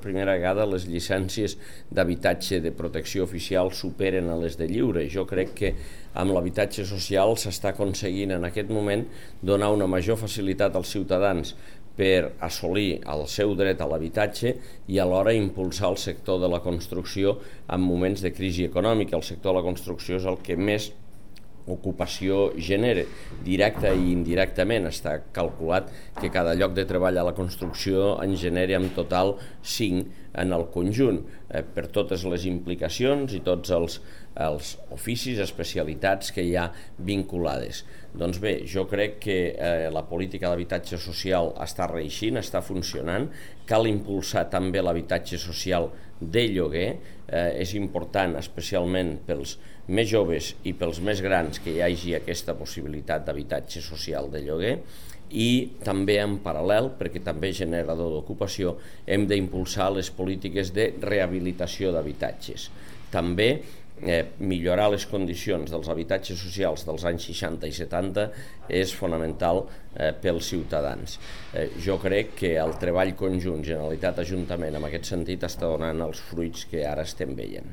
primera vegada les llicències d'habitatge de protecció oficial superen a les de lliure. Jo crec que amb l'habitatge social s'està aconseguint en aquest moment donar una major facilitat als ciutadans per assolir el seu dret a l'habitatge i alhora impulsar el sector de la construcció en moments de crisi econòmica. El sector de la construcció és el que més ocupació genera, directa i indirectament. Està calculat que cada lloc de treball a la construcció en genera en total 5 en el conjunt, per totes les implicacions i tots els oficis, especialitats que hi ha vinculades. Doncs bé, jo crec que la política d'habitatge social està reeixint, està funcionant. Cal impulsar també l'habitatge social de lloguer. És important, especialment pels més joves i pels més grans, que hi hagi aquesta possibilitat d'habitatge social de lloguer. I també en paral·lel, perquè també és generador d'ocupació, hem d'impulsar les polítiques de rehabilitació d'habitatges. També millorar les condicions dels habitatges socials dels anys 60 i 70 és fonamental pels ciutadans. Jo crec que el treball conjunt Generalitat-Ajuntament en aquest sentit està donant els fruits que ara estem veient.